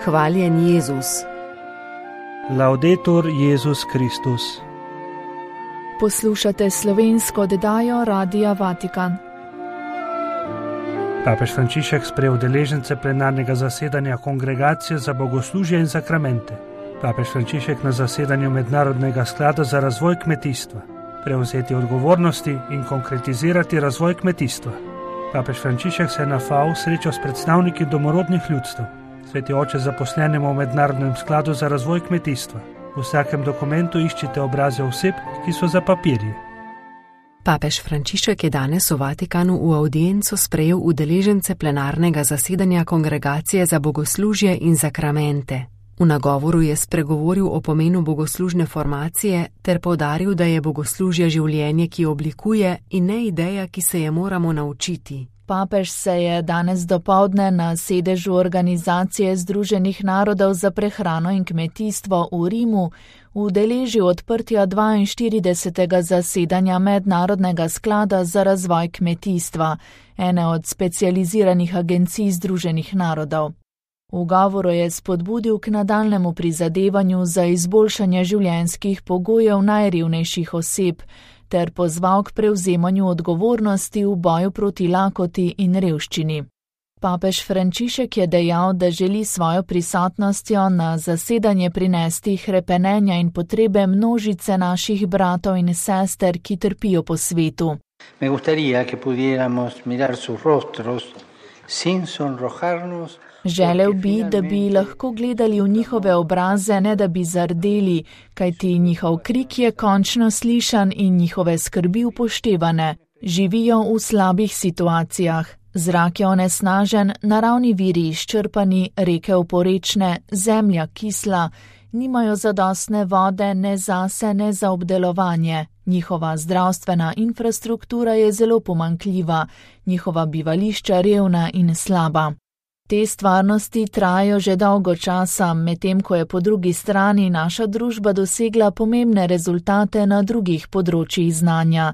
Hvaljen Jezus. Laudetur Jezus Kristus. Poslušate slovensko oddajo Radia Vatikan. Papež Frančišek sprejel udeležence plenarnega zasedanja Kongregacije za bogoslužje in sakramente. Papež Frančišek na zasedanju Mednarodnega sklada za razvoj kmetijstva. Prevzeti odgovornosti in konkretizirati razvoj kmetijstva. Papež Frančišek se je na FAO srečal s predstavniki domorodnih ljudstev. Sveti oče zaposlenemu v Mednarodnem skladu za razvoj kmetijstva. V vsakem dokumentu iščite obraze oseb, ki so za papirje. Papež Frančišek je danes v Vatikanu v audienco sprejel udeležence plenarnega zasedanja Kongregacije za bogoslužje in sakramente. V nagovoru je spregovoril o pomenu bogoslužne formacije ter poudaril, da je bogoslužje življenje, ki oblikuje, in ne ideja, ki se je moramo naučiti. Papež se je danes dopoldne na sedežu Organizacije Združenih narodov za prehrano in kmetijstvo v Rimu udeležil odprtja 42. zasedanja Mednarodnega sklada za razvoj kmetijstva, ene od specializiranih agencij Združenih narodov. V govoru je spodbudil k nadaljnemu prizadevanju za izboljšanje življenjskih pogojev najrevnejših oseb ter pozval k prevzemanju odgovornosti v boju proti lakoti in revščini. Papež Frančišek je dejal, da želi svojo prisotnostjo na zasedanje prinesti hrepenenja in potrebe množice naših bratov in sester, ki trpijo po svetu. Me gustaría que pudiéramos mirar sus rostros sin sonrojarnos. Želel bi, da bi lahko gledali v njihove obraze, ne da bi zardeli, kajti njihov krik je končno slišan in njihove skrbi upoštevane. Živijo v slabih situacijah. Zrak je onesnažen, naravni viri izčrpani, reke oporečne, zemlja kisla, nimajo zadostne vode ne zase, ne za obdelovanje. Njihova zdravstvena infrastruktura je zelo pomanjkljiva, njihova bivališča revna in slaba. Te stvarnosti trajajo že dolgo časa, medtem ko je po drugi strani naša družba dosegla pomembne rezultate na drugih področjih znanja.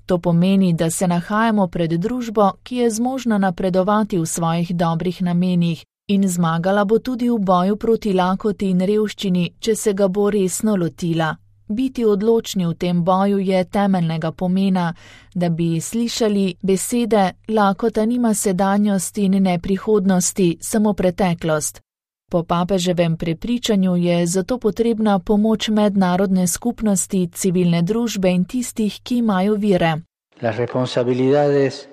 To pomeni, da se nahajamo pred družbo, ki je zmožna napredovati v svojih dobrih namenih in zmagala bo tudi v boju proti lakoti in revščini, če se ga bo resno lotila. Biti odločni v tem boju je temeljnega pomena, da bi slišali besede lakota nima sedanjosti in ne prihodnosti, samo preteklost. Po papeževem prepričanju je zato potrebna pomoč mednarodne skupnosti, civilne družbe in tistih, ki imajo vire. Las responsabilidades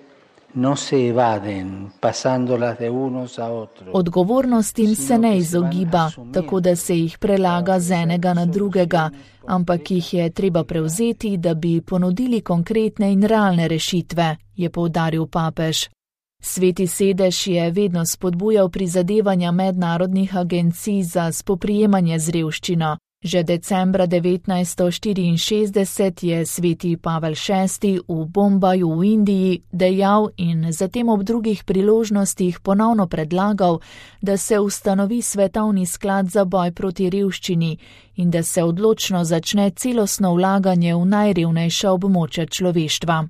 no se evaden, pasándolas de unos a otros. Odgovornostim se ne izogiba, tako da se jih prelaga z enega na drugega, ampak jih je treba prevzeti, da bi ponudili konkretne in realne rešitve, je poudaril papež. Sveti sedež je vedno spodbujal prizadevanja mednarodnih agencij za spoprijemanje z revščino. Že decembra 1964 je sveti Pavel VI v Bombaju v Indiji dejal in zatem ob drugih priložnostih ponovno predlagal, da se ustanovi svetovni sklad za boj proti revščini in da se odločno začne celostno vlaganje v najrevnejša območja človeštva.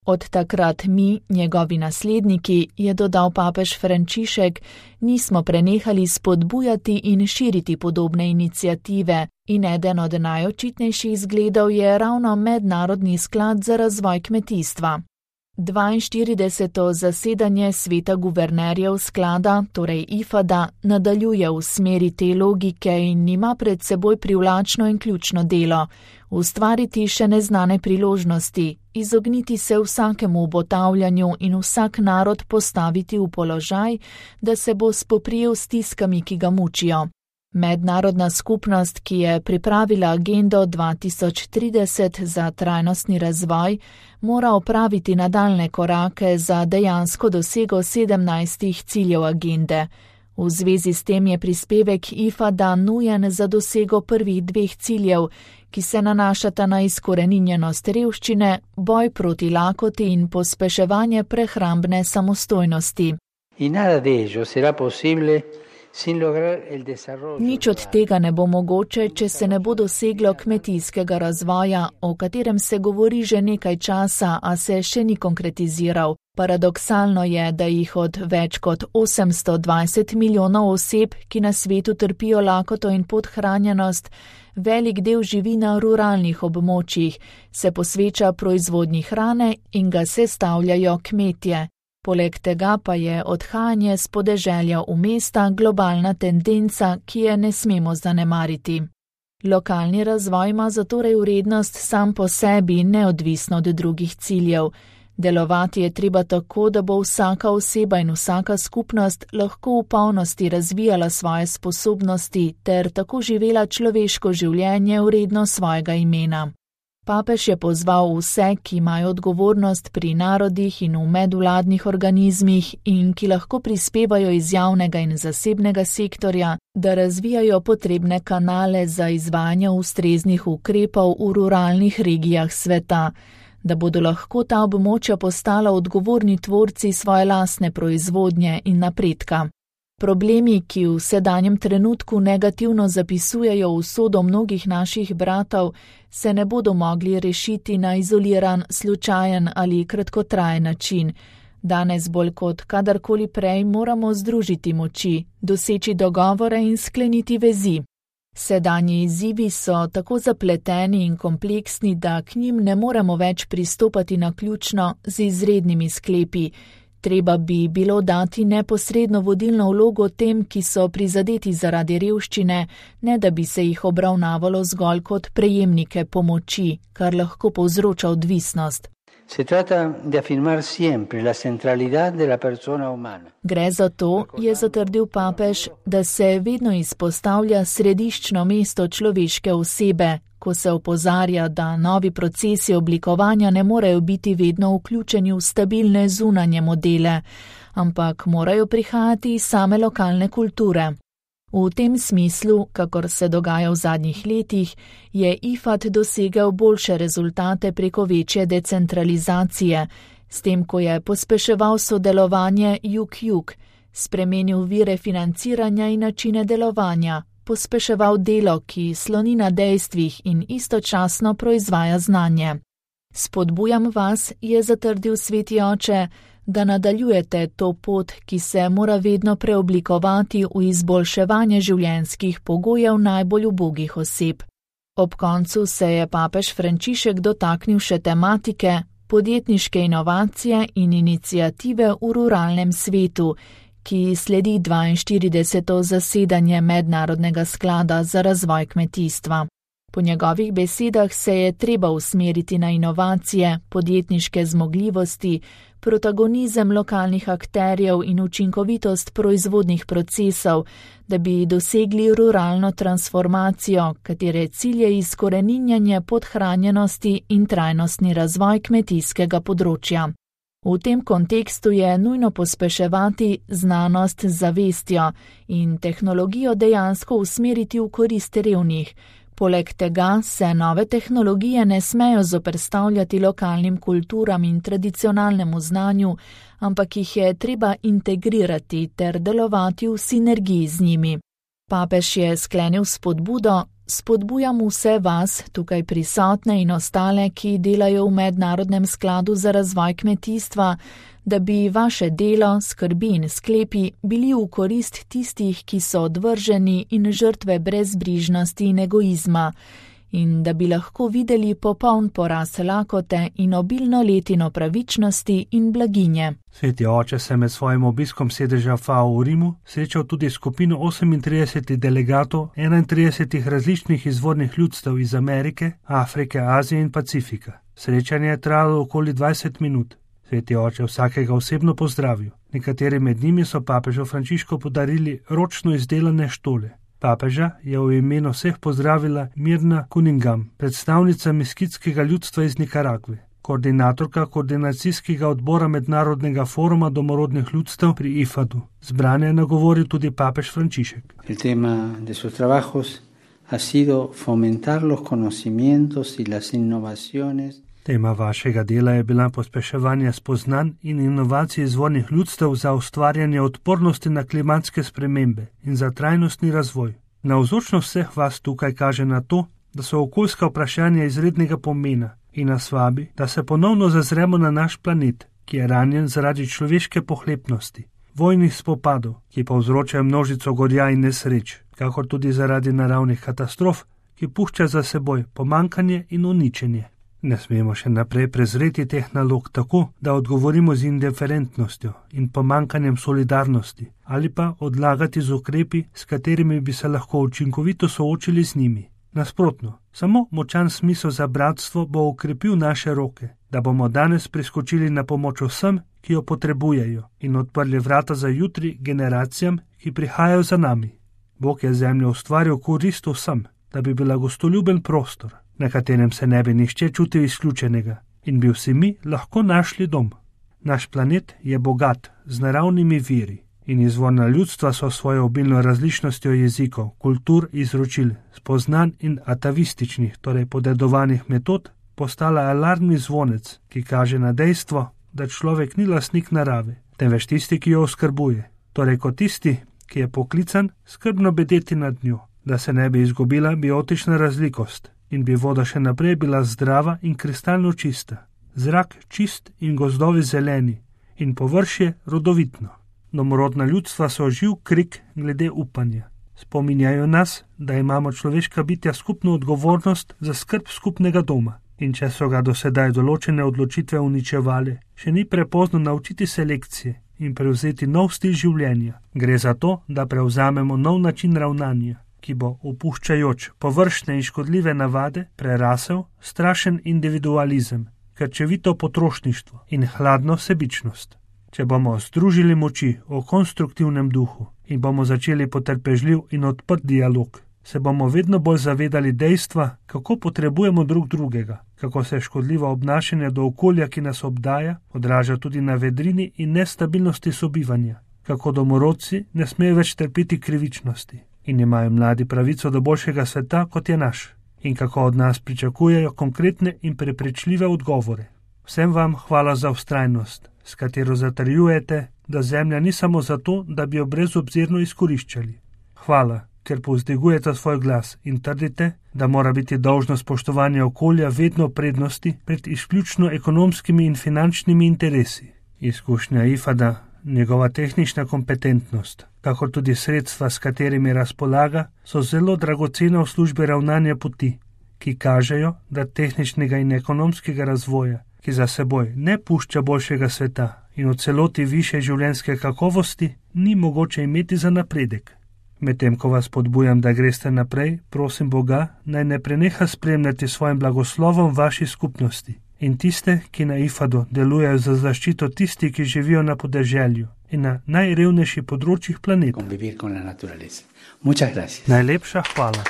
Od takrat mi, njegovi nasledniki, je dodal papež Frančišek, nismo prenehali spodbujati in širiti podobne iniciative in eden od najočitnejših zgledov je ravno Mednarodni sklad za razvoj kmetijstva. 42. zasedanje sveta guvernerjev sklada, torej IFAD-a, nadaljuje v smeri te logike in ima pred seboj privlačno in ključno delo. Ustvariti še neznane priložnosti, izogniti se vsakemu obotavljanju in vsak narod postaviti v položaj, da se bo spoprijel s stiskami, ki ga mučijo. Mednarodna skupnost, ki je pripravila agendo 2030 za trajnostni razvoj, mora opraviti nadaljne korake za dejansko dosego 17 ciljev agende. V zvezi s tem je prispevek IFAD-a nujen za dosego prvih 2 ciljev, ki se nanašata na izkoreninjenost revščine, boj proti lakoti in pospeševanje prehrambne samostojnosti. In nada de ello será posible Nič od tega ne bo mogoče, če se ne bo doseglo kmetijskega razvoja, o katerem se govori že nekaj časa, a se še ni konkretiziral. Paradoksalno je, da jih od več kot 820 milijonov oseb, ki na svetu trpijo lakoto in podhranjenost, velik del živi na ruralnih območjih, se posveča proizvodnji hrane in ga sestavljajo kmetje. Poleg tega pa je odhajanje s podeželja v mesta globalna tendenca, ki je ne smemo zanemariti. Lokalni razvoj ima zatorej vrednost sam po sebi, neodvisno od drugih ciljev. Delovati je treba tako, da bo vsaka oseba in vsaka skupnost lahko v polnosti razvijala svoje sposobnosti ter tako živela človeško življenje vredno svojega imena. Papež je pozval vse, ki imajo odgovornost pri narodih in v medvladnih organizmih in ki lahko prispevajo iz javnega in zasebnega sektorja, da razvijajo potrebne kanale za izvajanje ustreznih ukrepov v ruralnih regijah sveta, da bodo lahko ta območja postala odgovorni tvorci svoje lastne proizvodnje in napredka. Problemi, ki v sedanjem trenutku negativno zapisujejo usodo mnogih naših bratov, se ne bodo mogli rešiti na izoliran, slučajen ali kratkotrajen način. Danes bolj kot kadarkoli prej moramo združiti moči, doseči dogovore in skleniti vezi. Sedanji izzivi so tako zapleteni in kompleksni, da k njim ne moremo več pristopati naključno z izrednimi sklepi. Treba bi bilo dati neposredno vodilno vlogo tem, ki so prizadeti zaradi revščine, ne da bi se jih obravnavalo zgolj kot prejemnike pomoči, kar lahko povzroča odvisnost. Gre za to, je zatrdil papež, da se vedno izpostavlja središčno mesto človeške osebe, ko se opozarja, da novi procesi oblikovanja ne morejo biti vedno vključeni v stabilne zunanje modele, ampak morajo prihajati iz same lokalne kulture. V tem smislu, kakor se dogaja v zadnjih letih, je IFAD dosegel boljše rezultate preko večje decentralizacije, s tem, ko je pospeševal sodelovanje jug-jug, spremenil vire financiranja in načine delovanja, pospeševal delo, ki sloni na dejstvih in istočasno proizvaja znanje. Spodbujam vas, je zatrdil Sveti oče, da nadaljujete to pot, ki se mora vedno preoblikovati v izboljševanje življenjskih pogojev najbolj ubogih oseb. Ob koncu se je papež Frančišek dotaknil še tematike podjetniške inovacije in iniciative v ruralnem svetu, ki sledi 42. zasedanje Mednarodnega sklada za razvoj kmetijstva. Po njegovih besedah se je treba usmeriti na inovacije, podjetniške zmogljivosti, protagonizem lokalnih akterjev in učinkovitost proizvodnih procesov, da bi dosegli ruralno transformacijo, katere cilj je izkoreninjanje podhranjenosti in trajnostni razvoj kmetijskega področja. V tem kontekstu je nujno pospeševati znanost z zavestjo in tehnologijo dejansko usmeriti v korist revnih. Poleg tega se nove tehnologije ne smejo zoperstavljati lokalnim kulturam in tradicionalnemu znanju, ampak jih je treba integrirati ter delovati v sinergiji z njimi. Papež je sklenil spodbudo: spodbujam vse vas, tukaj prisotne in ostale, ki delajo v Mednarodnem skladu za razvoj kmetijstva, da bi vaše delo, skrbi in sklepi bili v korist tistih, ki so odvrženi in žrtve brezbrižnosti in egoizma, in da bi lahko videli popoln poraz lakote in obilno letino pravičnosti in blaginje. Sveti oče se med svojim obiskom sedeža FAO v Rimu srečal tudi skupino 38 delegatov 31 različnih izvornih ljudstev iz Amerike, Afrike, Azije in Pacifika. Srečanje je trajalo okoli 20 minut. Sveti oče vsakega osebno pozdravil. Nekateri med njimi so papežu Frančišku podarili ročno izdelane štole. Papeža je v imenu vseh pozdravila Mirna Cunningham, predstavnica meskitskega ljudstva iz Nikaragve, koordinatorka koordinacijskega odbora Mednarodnega foruma domorodnih ljudstev pri IFAD-u. Zbrane je nagovoril tudi papež Frančišek. El tema de sus trabajos ha sido fomentar los conocimientos y las innovaciones. Tema vašega dela je bila pospeševanje spoznanj in inovacij izvornih ljudstev za ustvarjanje odpornosti na klimatske spremembe in za trajnostni razvoj. Navzočnost vseh vas tukaj kaže na to, da so okoljska vprašanja izrednega pomena in nas vabi, da se ponovno zazremo na naš planet, ki je ranjen zaradi človeške pohlepnosti, vojnih spopadov, ki povzročajo množico gorja in nesreč, kakor tudi zaradi naravnih katastrof, ki pušča za seboj pomankanje in uničenje. Ne smemo še naprej prezreti teh nalog tako, da odgovorimo z indiferentnostjo in pomankanjem solidarnosti ali pa odlagati z ukrepi, s katerimi bi se lahko učinkovito soočili z njimi. Nasprotno, samo močan smisel za bratstvo bo okrepil naše roke, da bomo danes priskočili na pomoč vsem, ki jo potrebujejo in odprli vrata za jutri generacijam, ki prihajajo za nami. Bog je zemljo ustvaril korist vsem, da bi bila gostoljuben prostor, na katerem se ne bi nihče čutil izključenega in bi vsi mi lahko našli dom. Naš planet je bogat z naravnimi viri in izvorna ljudstva so svojo obilno različnostjo jezikov, kultur, izročil, spoznanj in atavističnih, torej podedovanih metod, postala alarmni zvonec, ki kaže na dejstvo, da človek ni lastnik narave, temveč tisti, ki jo oskrbuje, torej kot tisti, ki je poklican skrbno bedeti nad njo, da se ne bi izgubila biotična razlikost in bi voda še naprej bila zdrava in kristalno čista, zrak čist in gozdovi zeleni in površje rodovitno. Domorodna ljudstva so živ krik glede upanja. Spominjajo nas, da imamo človeška bitja skupno odgovornost za skrb skupnega doma in če so ga do sedaj določene odločitve uničevale, še ni prepozno naučiti se lekcije in prevzeti nov stil življenja. Gre za to, da prevzamemo nov način ravnanja, ki bo, opuščajoč površne in škodljive navade, prerasel strašen individualizem, krčevito potrošništvo in hladno sebičnost. Če bomo združili moči o konstruktivnem duhu in bomo začeli potrpežljiv in odprt dialog, se bomo vedno bolj zavedali dejstva, kako potrebujemo drug drugega, kako se škodljivo obnašanje do okolja, ki nas obdaja, odraža tudi na vedrini in nestabilnosti sobivanja, kako domorodci ne smejo več trpiti krivičnosti in imajo mladi pravico do boljšega sveta, kot je naš, in kako od nas pričakujejo konkretne in prepričljive odgovore. Vsem vam hvala za vztrajnost, s katero zatrjujete, da zemlja ni samo zato, da bi jo brezobzirno izkoriščali. Hvala, ker povzdigujete svoj glas in trdite, da mora biti dolžno spoštovanje okolja vedno prednosti pred izključno ekonomskimi in finančnimi interesi. Izkušnja IFAD-a, njegova tehnična kompetentnost, kakor tudi sredstva, s katerimi razpolaga, so zelo dragocena v službi ravnanja poti, ki kažejo, da tehničnega in ekonomskega razvoja, ki za seboj ne pušča boljšega sveta in v celoti više življenjske kakovosti, ni mogoče imeti za napredek. Medtem ko vas podbujam, da greste naprej, prosim Boga, naj ne preneha spremljati svojim blagoslovom vaši skupnosti in tiste, ki na IFAD-u delujejo za zaščito tisti, ki živijo na podeželju in na najrevnejših področjih planeta. Najlepša hvala.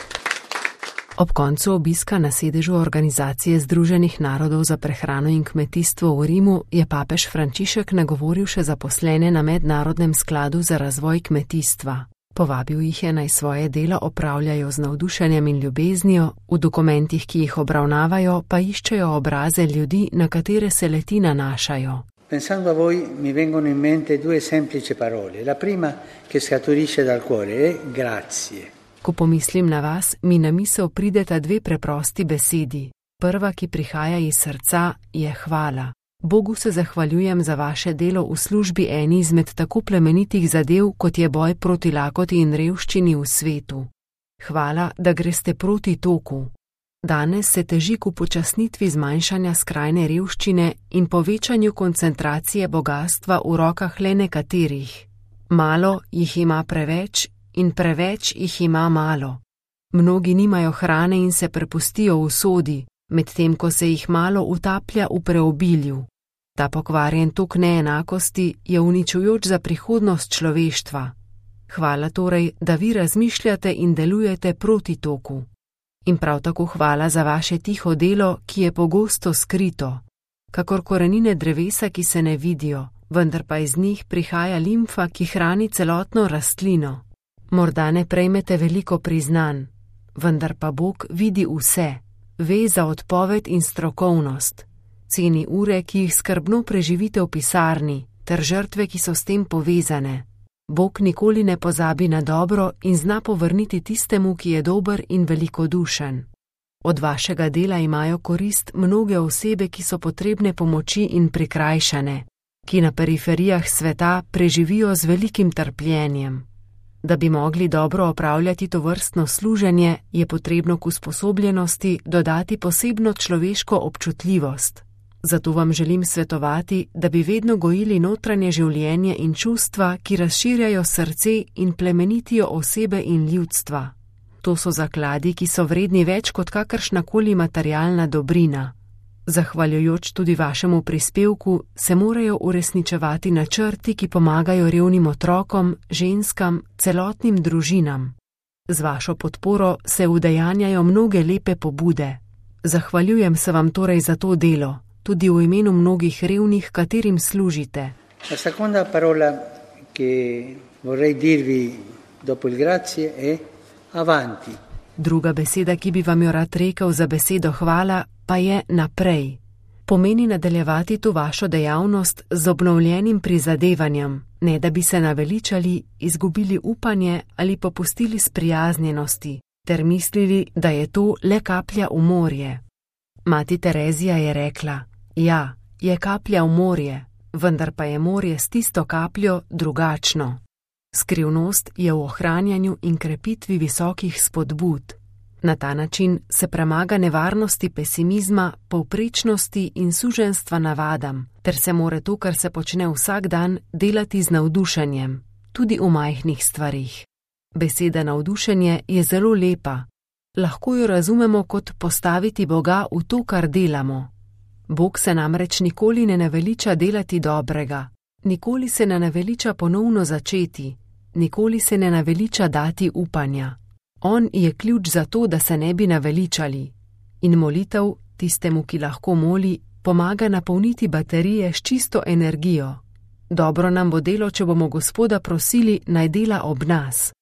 Ob koncu obiska na sedežu Organizacije Združenih narodov za prehrano in kmetijstvo v Rimu je papež Frančišek nagovoril še zaposlene na Mednarodnem skladu za razvoj kmetijstva. Povabil jih je, naj svoje delo opravljajo z navdušenjem in ljubeznijo, v dokumentih, ki jih obravnavajo, pa iščejo obraze ljudi, na katere se le-ti nanašajo. Pensando a voi mi vengono in mente due semplici parole. La prima che scaturisce dal cuore è grazie. Ko pomislim na vas, mi na misel prideta dve preprosti besedi. Prva, ki prihaja iz srca, je hvala. Bogu se zahvaljujem za vaše delo v službi eni izmed tako plemenitih zadev, kot je boj proti lakoti in revščini v svetu. Hvala, da greste proti toku. Danes se teži k upočasnitvi zmanjšanja skrajne revščine in povečanju koncentracije bogastva v rokah le nekaterih. Malo jih ima preveč in preveč jih ima malo. Mnogi nimajo hrane in se prepustijo usodi, medtem ko se jih malo utaplja v preobilju. Ta pokvarjen tok neenakosti je uničujoč za prihodnost človeštva. Hvala torej, da vi razmišljate in delujete proti toku. In prav tako hvala za vaše tiho delo, ki je pogosto skrito, kakor korenine drevesa, ki se ne vidijo, vendar pa iz njih prihaja limfa, ki hrani celotno rastlino. Morda ne prejmete veliko priznanj, vendar pa Bog vidi vse, ve za odpoved in strokovnost ceni ure, ki jih skrbno preživite v pisarni, ter žrtve, ki so s tem povezane. Bog nikoli ne pozabi na dobro in zna povrniti tistemu, ki je dober in velikodušen. Od vašega dela imajo korist mnoge osebe, ki so potrebne pomoči in prikrajšane, ki na periferijah sveta preživijo z velikim trpljenjem. Da bi mogli dobro opravljati tovrstno služenje, je potrebno k usposobljenosti dodati posebno človeško občutljivost. Zato vam želim svetovati, da bi vedno gojili notranje življenje in čustva, ki razširjajo srce in plemenitijo osebe in ljudstva. To so zakladi, ki so vredni več kot kakršnakoli materialna dobrina. Zahvaljujoč tudi vašemu prispevku se morajo uresničevati načrti, ki pomagajo revnim otrokom, ženskam, celotnim družinam. Z vašo podporo se udejanjajo mnoge lepe pobude. Zahvaljujem se vam torej za to delo, tudi v imenu mnogih revnih, katerim služite. La seconda parola che vorrei dirvi dopo il grazie è avanti. Druga beseda, ki bi vam jo rad rekel za besedo hvala, pa je naprej. Pomeni nadaljevati to vašo dejavnost z obnovljenim prizadevanjem, ne da bi se naveličali, izgubili upanje ali popustili sprijaznjenosti, ter mislili, da je to le kaplja v morje. Mati Terezija je rekla, ja, je kaplja v morje, vendar pa je morje s tisto kapljo drugačno. Skrivnost je v ohranjanju in krepitvi visokih spodbud. Na ta način se premaga nevarnosti pesimizma, povprečnosti in suženjstva navadam, ter se more to, kar se počne vsak dan, delati z navdušenjem, tudi v majhnih stvarih. Beseda navdušenje je zelo lepa. Lahko jo razumemo kot postaviti Boga v to, kar delamo. Bog se namreč nikoli ne naveliča delati dobrega, nikoli se ne naveliča ponovno začeti, nikoli se ne naveliča dati upanja. On je ključ za to, da se ne bi naveličali. In molitev, tistemu, ki lahko moli, pomaga napolniti baterije s čisto energijo. Dobro nam bo delo, če bomo Gospoda prosili, naj dela ob nas.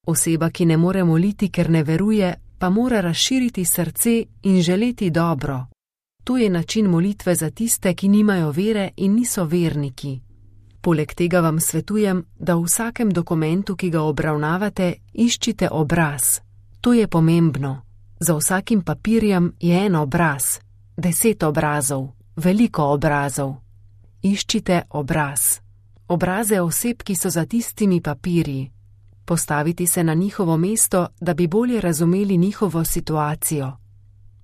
Oseba, ki ne more moliti, ker ne veruje, pa mora razširiti srce in želeti dobro. To je način molitve za tiste, ki nimajo vere in niso verniki. Poleg tega vam svetujem, da v vsakem dokumentu, ki ga obravnavate, iščite obraz. To je pomembno. Za vsakim papirjem je en obraz, 10 obrazov, veliko obrazov. Iščite obraz. Obraze oseb, ki so za tistimi papirji. Postaviti se na njihovo mesto, da bi bolje razumeli njihovo situacijo.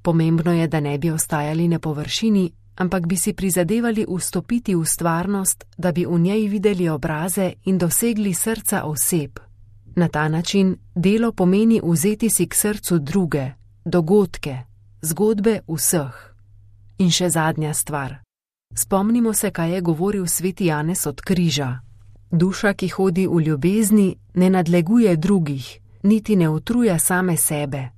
Pomembno je, da ne bi ostajali na površini, ampak bi si prizadevali vstopiti v stvarnost, da bi v njej videli obraze in dosegli srca oseb. Na ta način delo pomeni vzeti si k srcu druge, dogodke, zgodbe vseh. In še zadnja stvar. Spomnimo se, kaj je govoril sveti Janez od križa. Duša, ki hodi v ljubezni, ne nadleguje drugih, niti ne utruja same sebe.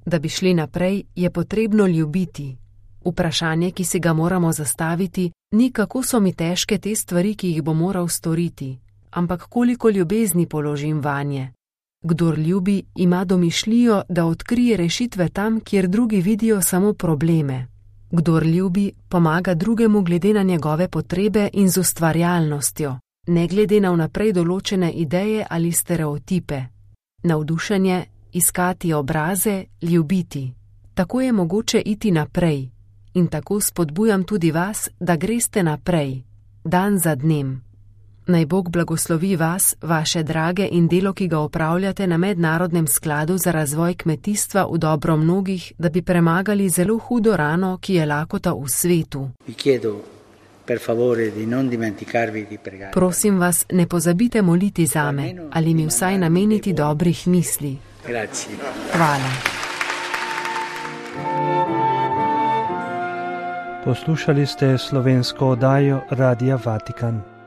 Da bi šli naprej, je potrebno ljubiti. Vprašanje, ki si ga moramo zastaviti, ni kako so mi težke te stvari, ki jih bo moral storiti, ampak koliko ljubezni položim vanje. Kdor ljubi, ima domišljijo, da odkrije rešitve tam, kjer drugi vidijo samo probleme. Kdor ljubi, pomaga drugemu glede na njegove potrebe in z ustvarjalnostjo, ne glede na vnaprej določene ideje ali stereotipe. Navdušenje, iskati obraze, ljubiti. Tako je mogoče iti naprej. In tako spodbujam tudi vas, da greste naprej, dan za dnem. Naj Bog blagoslovi vas, vaše drage in delo, ki ga opravljate na Mednarodnem skladu za razvoj kmetijstva v dobro mnogih, da bi premagali zelo hudo rano, ki je lakota v svetu. Prosim vas, ne pozabite moliti zame ali mi vsaj nameniti dobrih misli. Hvala. Poslušali ste slovensko oddajo Radia Vatikan.